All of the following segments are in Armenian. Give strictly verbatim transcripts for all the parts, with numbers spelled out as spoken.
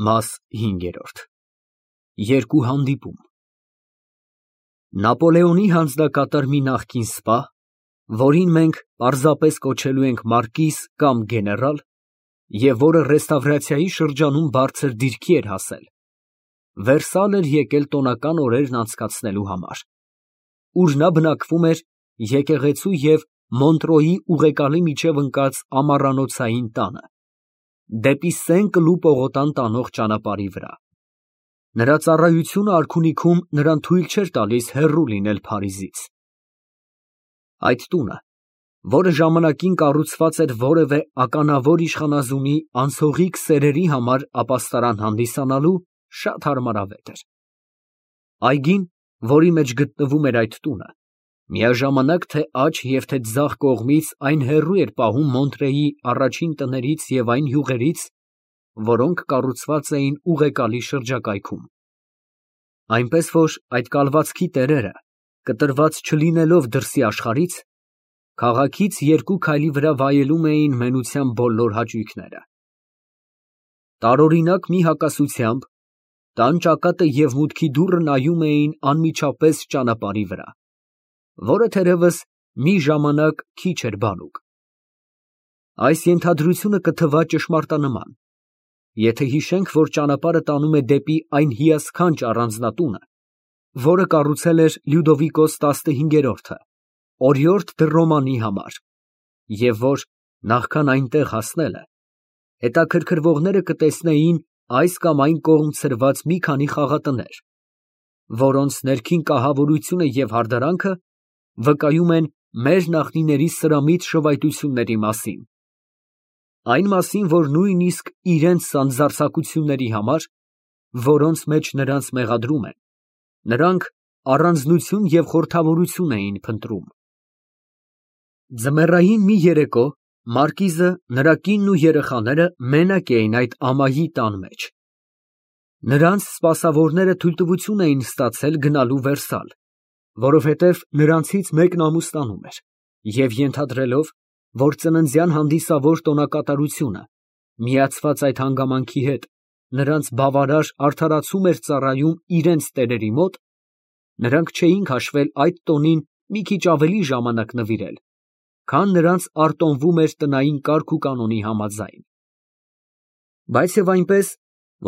Մաս հինգերորդ Երկու հանդիպում Նապոլեոնի հանձնակատար մի նախկին սպա, որին մենք պարզապես կոչելու ենք մարկիզ կամ գեներալ, և որը ռեստավրացիայի շրջանում բարձր դիրքի էր հասել, Վերսալ էր եկել տոնական օրերն անցկացնելու համար, ուր նա բնակվում էր եկեղեցու և Մոնտրոյի ուղեկալի միջև ընկած ամառանոցային տանը, դեպի Սեն֊Կլու պողոտան տանող ճանապարհի վրա։ Նրա ծառայությունը արքունիքում նրան թույլ չէր տալիս հեռու լինել Փարիզից։ Այդ տունը, որը ժամանակին կառուցված էր որևէ ականավոր իշխանազունի անցողիկ սերերի համար ապաստարան հանդիսանալու, շատ հարմարավետ էր։ Այգին, որի մեջ գտնվում էր այդ տունը, միաժամանակ թե աջ և թե ձախ կողմից այն հեռու էր պահում Մոնտրեի առաջին տներից և այն յուղերից, որոնք կառուցված էին ուղեկալի շրջակայքում, այնպես որ այդ կալվածքի տերերը, կտրված չլինելով դրսի աշխարհից, քաղաքից երկու քայլի վրա վայելում էին մենության բոլոր հաճույքները։ Տարօրինակ մի հակասությամբ տան ճակատը և մուտքի դուռը նայում էին անմիջապես ճանապարհի վրա, որը թերևս մի ժամանակ քիչ էր բանուկ։ Այս ենթադրությունը կթվա ճշմարտանման, եթե հիշենք, որ ճանապարհը տանում է դեպի այն հիասքանչ առանձնատունը, որը կառուցել էր Լյուդովիկոս տասնհինգերորդը օրիորդ դը Ռոմանի համար, և որ, նախքան այնտեղ հասնելը, հետաքրքրվողները կտեսնեին այս կամ այն կողմ ցրված մի քանի խաղատներ, որոնց ներքին կահավորությունը և հարդարանքը վկայում են մեր նախնիների սրամիտ շվայտությունների մասին, այն մասին, որ նույնիսկ իրենց սանձարձակությունների համար, որոնց մեջ նրանց մեղադրում են, նրանք առանձնություն և խորհրդավորություն էին փնտրում։ Ձմեռային մի երեկո մարկիզը, նրա կինն ու երեխաները մենակ էին այդ ամայի տան մեջ։ Նրանց սպասավորները թույլտվություն էին ստացել գնալու Վերսալ, որովհետև նրանցից մեկն ամուսնանում էր, և ենթադրելով, որ ծննդյան հանդիսավոր տոնակատարությունը, միացված այդ հանգամանքի հետ, նրանց բավարար արդարացում էր ծառայում իրենց տերերի մոտ, նրանք չէին քաշվել այդ տոնին մի քիչ ավելի ժամանակ նվիրել, քան նրանց արտոնվում էր տնային կարգ ու կանոնի համաձայն։ Բայց և այնպես,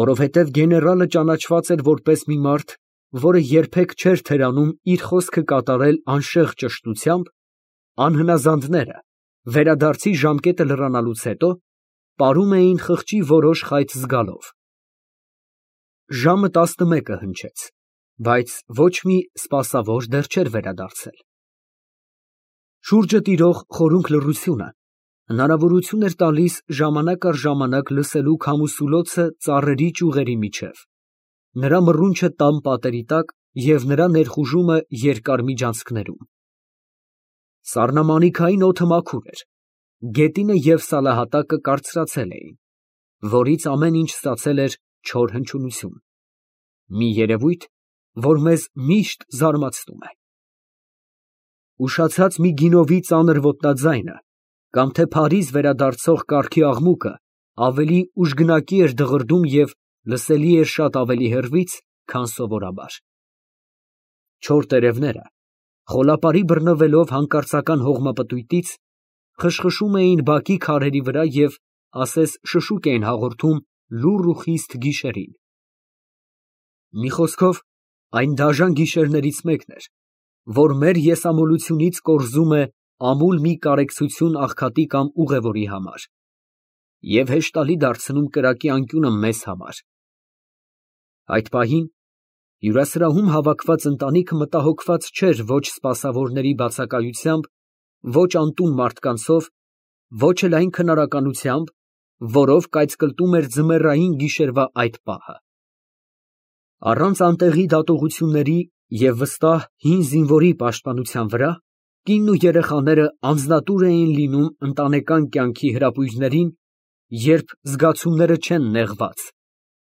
որովհետև գեներալը ճանաչված էր որպես մի մարդ, որը երբեք չէր թերանում իր խոսքը կատարել անշեղ ճշտությամբ, անհնազանդները, վերադարձի ժամկետը լրանալուց հետո, պարում էին խղճի որոշ խայծ զգալով։ Ժամը տասնմեկը հնչեց, բայց ոչ մի սպասավոր դեռ չէր վերադարձել։ Շուրջը տիրող խորունկ լռությունը հնարավորություն էր տալիս ժամանակ առ ժամանակ լսելու քամուսուլոցը ծառերի ճյուղերի միջև, նրա մռունչը տան պատերի տակ և նրա ներխուժումը երկար միջանցքներում։ Սառնամանիքային օդը մաքուր էր, գետինը և սալահատակը կարծրացել էին, որից ամեն ինչ ստացել էր չոր հնչյունություն, մի երևույթ, որ մեզ միշտ զարմացնում է։ Ուշացած մի գինովի ծանր ոտնաձայնը կամ թե Փարիզ վերադարձող կառքի աղմուկը ավելի ուժգնակի էր դղրդում և լսելի էր շատ ավելի հեռվից, քան սովորաբար։ Չոր տերևները, խոլապարի բռնվելով հանկարծական հողմապտույտից, խշխշում էին բակի քարերի վրա և ասես շշուկ էին հաղորդում լուռ ու խիստ գիշերին։ Մի խոսքով, այն դաժան գիշերներից մեկն էր, որ մեր եսամոլությունից կորզում է ամուլ մի կարեկցություն աղքատի կամ ուղևորի համար և հեշտալի դարձնում կրակի անկյունը մեզ համար։ Այդ պահին հյուրասրահում հավաքված ընտանիքը մտահոգված չէր ոչ սպասավորների բացակայությամբ, ոչ անտուն մարդկանցով, ոչ էլ այն քնարականությամբ, որով կայծկլտում էր ձմեռային գիշերվա այդ պահը։ Առանց անտեղի դատողությունների և վստահ հին զինվորի պաշտպանության վրա, կինն ու երեխաները անձնատուր էին լինում ընտանեկան կյանքի հրապույրներին, երբ զգացումները չեն նեղված,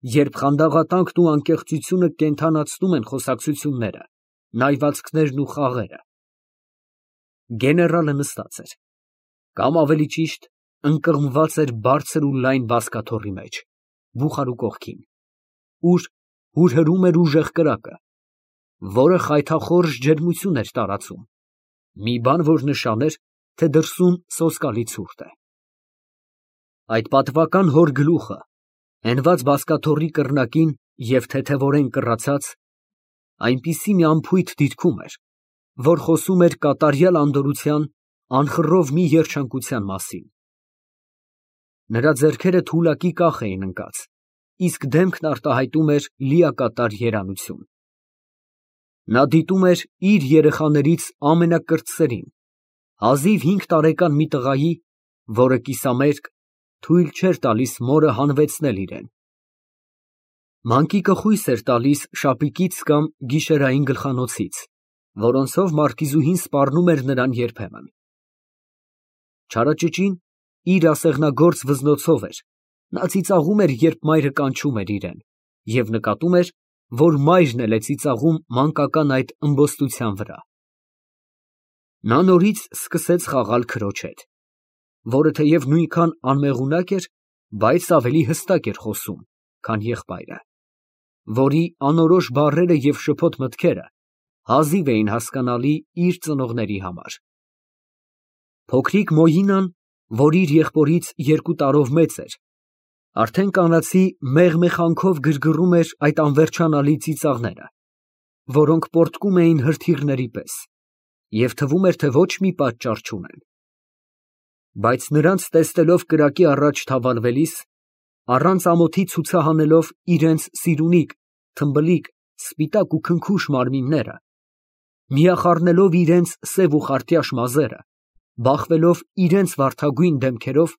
երբ խանդաղատանքն ու անկեղծությունը կենդանացնում են խոսակցությունները, նայվածքներն ու խաղերը։ Գեներալը նստած էր, կամ ավելի ճիշտ, ընկղմված էր բարձր ու լայն բազկաթոռի մեջ, Բուխարու կողքին, ուր հուրհրում էր ուժեղ կրակը, որը խայթախորժ ջերմություն էր տարածում, մի բան, որ նշան էր, թե դրսում սոսկալի ցուրտ է։ Այդ պատվական հոր գլուխը, հենված բազկաթոռի կռնակին և թեթևորեն կռացած, այնպիսի մի անփույթ դիրքում էր, որ խոսում էր կատարյալ անդորրության, անխռով մի երջանկության մասին։ Նրա ձեռքերը թուլակի կախ էին ընկած, իսկ դեմքն արտահայտում էր լիակատար երանություն։ Նա դիտում էր իր երեխաներից ամենակրտսերին, հազիվ հինգ տարեկան մի տղայի, որը կիսամերկ, թույլ չէր տալիս մորը հանվեցնել իրեն։ Մանկիկը խույս էր տալիս շապիկից կամ գիշերային գլխանոցից, որոնցով մարկիզուհին սպառնում էր նրան երբեմն։ Չարաճճին իր ասեղնագործ վզնոցով էր, նա ծիծաղում էր, երբ մայրը կանչում էր իրեն, և նկատում էր, որ մայրն էլ է ծիծաղում մանկական այդ ըմբոստության վրա։ Նա նորից սկսեց խաղալ քրոջ հետ, որը թեև նույնքան անմեղունակ էր, բայց ավելի հստակ էր խոսում, քան եղբայրը, որի անորոշ բառերը և շփոթ մտքերը հազիվ էին հասկանալի իր ծնողների համար։ Փոքրիկ Մոյինան, որ իր եղբորից երկու տարով մեծ էր, արդեն կանացի մեղմեխանքով գրգռում էր այդ անվերջանալի ծիծաղները, որոնք պոռթկում էին հրթիռների պես, և թվում էր, թե ոչ մի պատճառ չունեն։ Բայց նրանց տեսնելով կրակի առաջ թավալվելիս, առանց ամոթի ցուցահանելով իրենց սիրունիկ, թմբլիկ, սպիտակ ու քնքուշ մարմինները, միախառնելով իրենց սև ու խարտյաշ մազերը, բախվելով իրենց վարդագույն դեմքերով,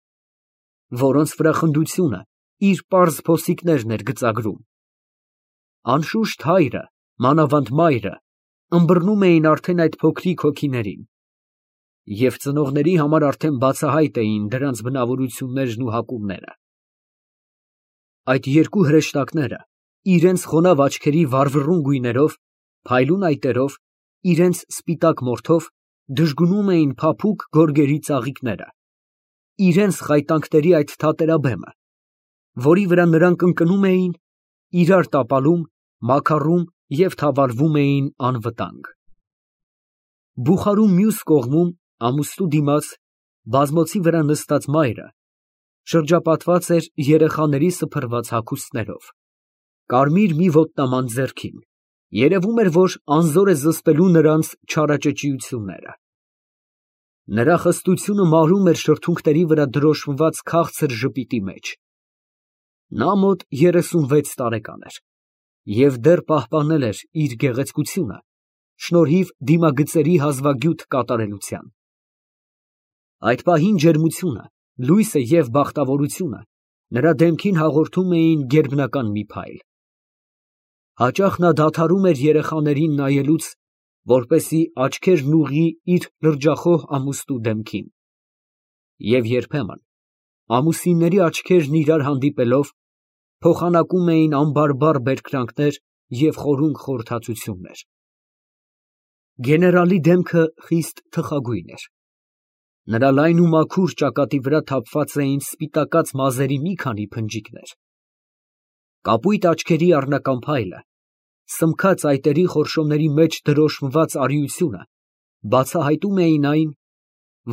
որոնց վրա խնդությունը իր պարզ փոսիկներն էր գծագրում, անշուշտ հայրը, մանավանդ մայրը, ըմբռնում էին արդեն այդ փոքրիկ հոգիներին, և ծնողների համար արդեն բացահայտ էին դրանց բնավորություններն ու հակումները։ Այդ երկու հրեշտակները իրենց խոնավ աչքերի վառվռուն գույներով, փայլուն այտերով, իրենց սպիտակ մորթով դժգունում էին փափուկ գորգերի ծաղիկները, իրենց խայտանքների այդ թատերաբեմը, որի վրա նրանք ընկնում էին, իրար տապալում, մաքառում և թավալվում էին անվտանգ։ Բուխարու մյուս կողմում, ամուստու դիմաց, բազմոցի վրա նստած մայրը շրջապատված էր երեխաների սփռված հագուստներով, կարմիր մի ոտնաման ձեռքին, երևում էր, որ անզոր է զսպելու նրանց չարաճճիությունները։ Նրա խստությունը մարում էր շրթունքների վրա դրոշմված քաղցր ժպիտի մեջ։ Նա մոտ երեսունվեց տարեկան էր և դեռ պահպանել էր իր գեղեցկությունը շնորհիվ դիմագծերի հազվագյուտ կատարելության։ Այդ պահին ջերմությունը, լույսը և բախտավորությունը նրա դեմքին հաղորդում էին գերբնական մի փայլ։ Հաճախ նա դադարում էր երեխաներին նայելուց, որպեսզի աչքերն ուղղի իր լրջախոհ ամուստու դեմքին, և երբեմն, ամուսինների աչքերն իրար հանդիպելով, փոխանակում էին անբարբար բերկրանքներ և խորունկ խորհրդածություններ։ Գեներալի դեմքը խիստ թխագույն էր։ Նրա լայն ու մաքուր ճակատի վրա թափված էին սպիտակած մազերի մի քանի փնջիկներ։ Կապույտ աչքերի առնական փայլը, սմքած այտերի խորշոմների մեջ դրոշմված արիությունը բացահայտում էին այն,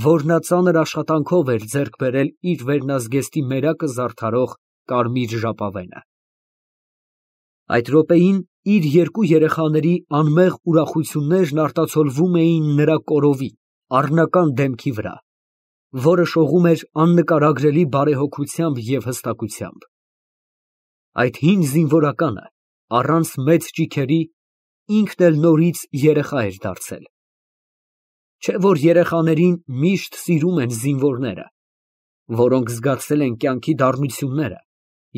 որ նա ծանր աշխատանքով էր ձեռք բերել իր վերնազգեստի մերակը զարդարող կարմիր ժապավենը։ Այդ րոպեին իր երկու երեխաների անմեղ ուրախություններն արտացոլվում էին նրա կորովի, առնական դեմքի վրա, որը շողում էր աննկարագրելի բարեհոգությամբ և հստակությամբ։ Այդ հին զինվորականը, առանց մեծ ճիգերի, ինքն էլ նորից երեխա էր դարձել։ Չէ՞ որ երեխաներին միշտ սիրում են զինվորները, որոնք զգացել են կյանքի դառնությունները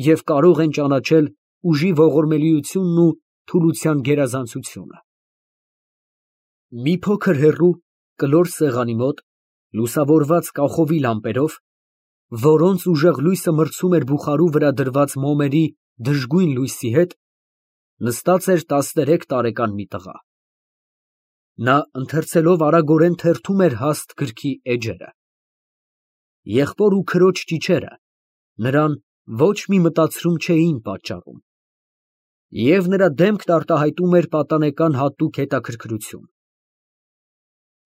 և կարող են ճանաչել ուժի ողորմելիությունն ու թուլության գերազանցությունը։ Մի փոքր հեռու, կլոր սեղանի մոտ, լուսավորված կախովի լամպերով, որոնց ուժեղ լույսը մրցում էր բուխարու վրա դրված մոմերի դժգույն լույսի հետ, նստած էր տասներեք տարեկան մի տղա։ Նա ընթերցելով արագորեն թերթում էր հաստ գրքի էջերը։ Եղբոր ու քրոջ ճիչերը նրան Ոչ մի մտածում չէին պատճառում։ Եվ նրա դեմքն արտահայտում էր պատանեկան հատուկ հետաքրքրություն։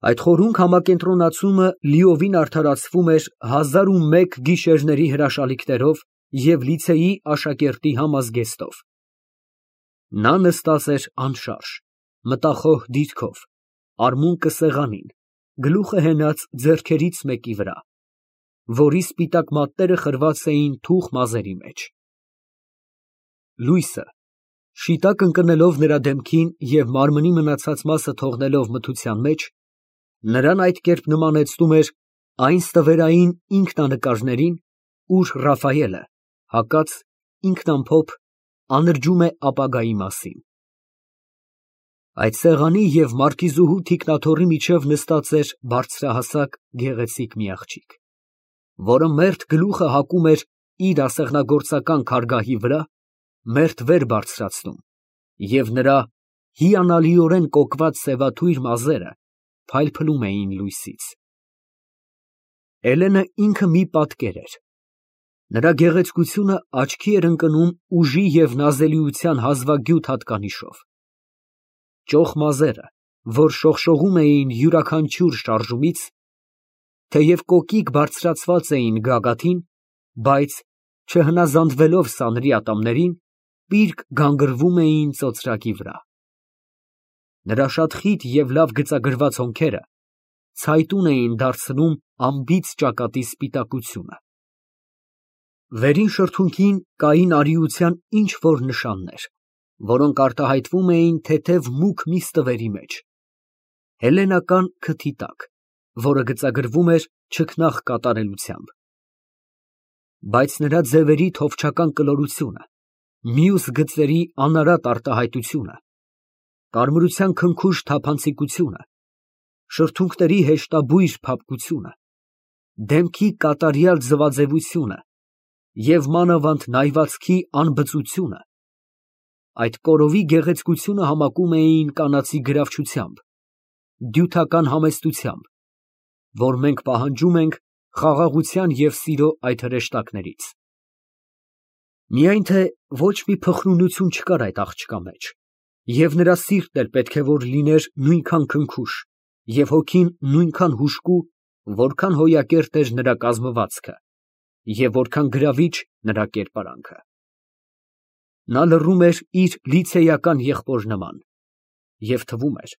Այդ խորհունկ համակենտրոնացումը լիովին արդարացվում էր հազար ու մեկ գիշերների հրաշալիքներով և լիցեի աշակերտի համազգեստով։ Նա նստած էր անշարժ, մտախոհ դիրքով, արմունկը սեղանին, գլուխը հենած ձեռքերից մեկի վրա, որի սպիտակ մատները խրված էին թուխ մազերի մեջ։ Լույսը, շիտակ ընկնելով նրա դեմքին և մարմնի մնացած մասը թողնելով մթության մեջ, նրան այդ կերպ նմանեցնում էր այն ստվերային ինքնանկարներին, ուր Ռաֆայելը, հակած, ինքնամփոփ, անրջում է ապագայի մասին։ Այդ սեղանի և մարկիզուհու թիկնաթոռի միջև նստած էր բարձրահասակ, գեղեցիկ մի աղջիկ, որը մերթ գլուխը հակում էր իր ասեղնագործական քարգահի վրա, մերթ վեր բարձրացնում, և նրա հիանալիորեն կոկված սևաթույր մազերը փայլփլում էին լույսից։ Էլենը ինքը մի պատկեր էր։ Նրա գեղեցկությունը աչքի էր ընկնում ուժի և նազելիության հազվագյուտ հատկանիշով։ Ճոխ մազերը, որ շողշողում էին յուրաքանչյուր շարժումից, թեև կոկիկ բարձրացված էին գագաթին, բայց, չհնազանդվելով սանրի ատամներին, պիրկ գանգրվում էին ծոծրակի վրա։ Նրա շատ խիտ և լավ գծագրված հոնքերը ցայտուն էին դարձնում անբիծ ճակատի սպիտակությունը։ Վերին շրթունքին կային արիության ինչ֊որ նշաններ, որոնք արտահայտվում էին թեթև մուգ մի ստվերի մեջ, հելլենական քթի տակ, որը գծագրվում էր չքնաղ կատարելությամբ։ Բայց նրա ձևերի թովչական կլորությունը, մյուս գծերի անարատ արտահայտությունը, կարմրության քնքուշ թափանցիկությունը, շրթունքների հեշտաբույր փափկությունը, դեմքի կատարյալ ձվաձևությունը և մանավանդ նայվածքի անբծությունը այդ կորովի գեղեցկությունը համակում էին կանացի գրավչությամբ, դյութական համեստությամբ, որ մենք պահանջում ենք խաղաղության և սիրո այդ հրեշտակներից։ Միայն թե ոչ մի փխրունություն չկար այդ աղջկա մեջ, և նրա սիրտն էլ պետք է որ լիներ նույնքան քնքուշ և հոգին նույնքան հուժկու, որքան հոյակերտ էր նրա կազմվածքը և որքան գրավիչ նրա կերպարանքը։ Նա լռում էր իր լիցեյական եղբոր նման, և թվում էր,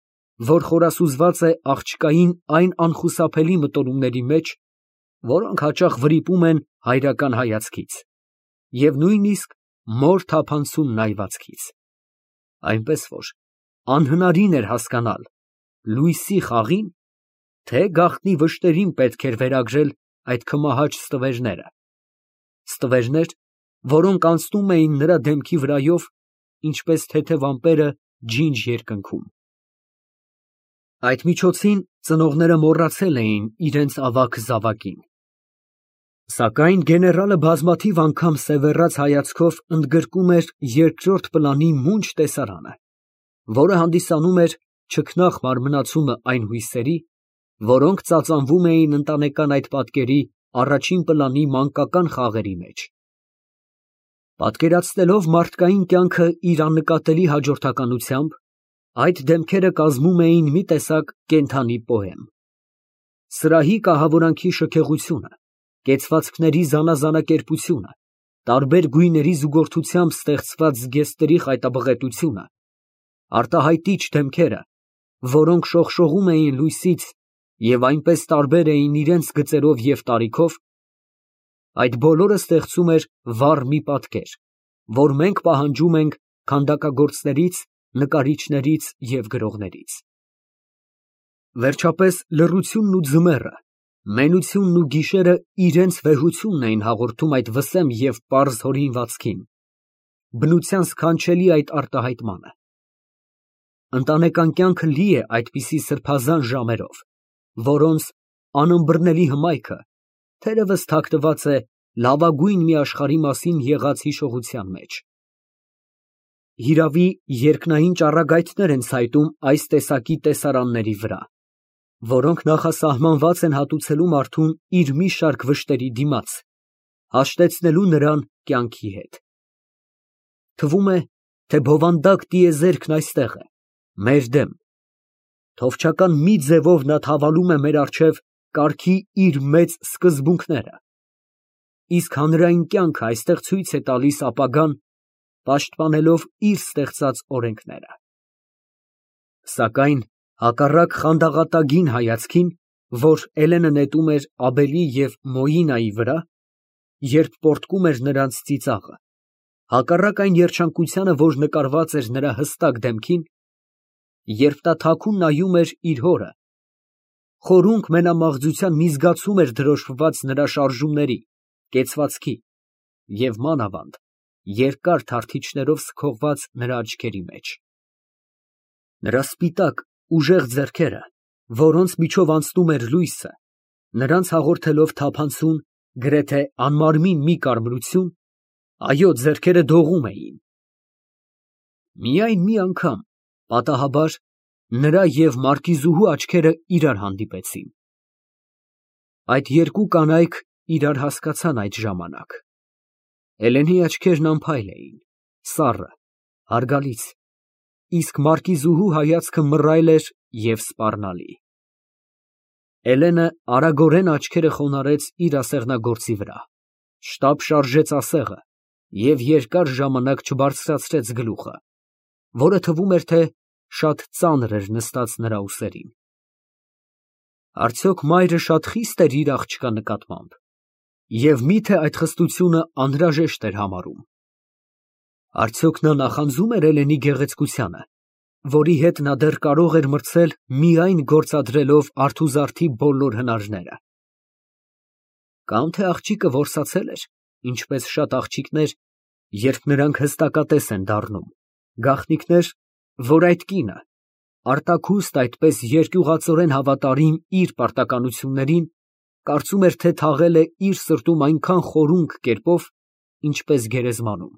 որ խորասուզված է աղջկային այն անխուսափելի մտորումների մեջ, որոնք հաճախ վրիպում են հայրական հայացքից և նույնիսկ մոր թափանցում նայվածքից, այնպես որ անհնարին էր հասկանալ լույսի խաղի՞ն, թե գաղտնի վշտերին պետք էր վերագրել այդ քմահաճ ստվերները, ստվերներ, որոնք անցնում էին նրա դեմքի վրայով, ինչպես թեթև ամպերը ջինջ երկնքում։ Այդ միջոցին ծնողները մոռացել էին իրենց ավագ զավակին։ Սակայն գեներալը բազմաթիվ անգամ սևեռած հայացքով ընդգրկում էր երկրորդ պլանի մունջ տեսարանը, որը հանդիսանում էր չքնաղ մարմնացումը այն հույսերի, որոնք ծածանվում էին ընտանեկան այդ պատկերի առաջին պլանի մանկական խաղերի մեջ։ Պատկերացնելով մարդկային կյանքը իր աննկատելի հաջորդականությամբ, այդ դեմքերը կազմում էին մի տեսակ կենդանի պոեմ։ Սրահի կահավորանքի շքեղությունը, կեցվածքների զանազանակերպությունը, տարբեր գույների զուգորդությամբ ստեղծված զգեստների խայտաբղետությունը, արտահայտիչ դեմքերը, որոնք շողշողում էին լույսից և այնպես տարբեր էին իրենց գծերով և տարիքով, այդ բոլորը ստեղծում էր վառ մի պատկեր, որ մենք պահանջում ենք քանդակագործներից, նկարիչներից և գրողներից։ Վերջապես լռությունն ու ձմեռը, մենությունն ու գիշերը իրենց վեհությունն էին հաղորդում այդ վսեմ և պարզ հորինվածքին, բնության սքանչելի այդ արտահայտմանը։ Ընտանեկան կյանքը լի է այդպիսի սրբազան ժամերով, որոնց անըմբռնելի հմայքը թերևս թաքնված է լավագույն մի աշխարհի մասին եղած հիշողության մեջ։ Հիրավի, երկնային ճառագայթներ են ցայտում այս տեսակի տեսարանների վրա, որոնք նախասահմանված են հատուցելու մարդուն իր մի շարք վշտերի դիմաց, հաշտեցնելու նրան կյանքի հետ։ Թվում է, թե բովանդակ տիեզերքն այստեղ է, մեր դեմ, թովչական մի ձևով նա թավալում է մեր առջև կարգի իր մեծ սկզբունքները, իսկ հանրային կյանքը այստեղ ցույց է տալիս ապագան, պաշտպանելով իր ստեղծած օրենքները։ Սակայն հակառակ խանդաղատագին հայացքին, որ Էլենը նետում էր Աբելի և Մոյինայի վրա, երբ պոռթկում էր նրանց ծիծաղը, հակառակ այն երջանկությանը, որ նկարված էր նրա հստակ դեմքին, երբ նա թաքուն նայում էր իր հորը, խորունկ մենամաղձության մի զգացում էր դրոշմված նրա շարժումների, կեցվածքի և մանավանդ երկար թարթիչներով սքողված նրա աչքերի մեջ։ Նրա սպիտակ, ուժեղ ձեռքերը, որոնց միջով անցնում էր լույսը, նրանց հաղորդելով թափանցուն, գրեթե անմարմին մի կարմրություն, այո, ձեռքերը դողում էին։ Միայն մի անգամ, պատահաբար, նրա և մարկիզուհու աչքերը իրար հանդիպեցին։ Այդ երկու կանայք իրար հասկացան այդ ժամանակ։ Էլենի աչքերն անփայլ էին, սառը, հարգալից, իսկ մարկիզուհու հայացքը մռայլ էր և սպառնալի։ Էլենը արագորեն աչքերը խոնարհեց իր ասեղնագործի վրա, շտապ շարժեց ասեղը և երկար ժամանակ չբարձրացրեց գլուխը, որը թվում էր, թե շատ ծանր էր նստած նրա ուսերին։ Արդյոք մայրը շատ խի՞ստ էր իր աղջկա նկատմամբ, և մի՞թե այդ խստությունը անհրաժեշտ էր համարում։ Արդյոք նա նախանձում էր Էլենի գեղեցկությանը, որի հետ նա դեռ կարող էր մրցել միայն գործադրելով արթուզարդի բոլոր հնարները։ Կամ թե աղջիկը որսացել էր, ինչպես շատ աղջիկներ, երբ նրանք հստակատես են դառնում, գաղտնիքներ, որ այդ կինը, արտաքուստ այդպես երկյուղածորեն հավատարիմ իր պարտականություններին, կարծում էր, թե թաղել է իր սրտում այնքան խորունկ կերպով, ինչպես գերեզմանում։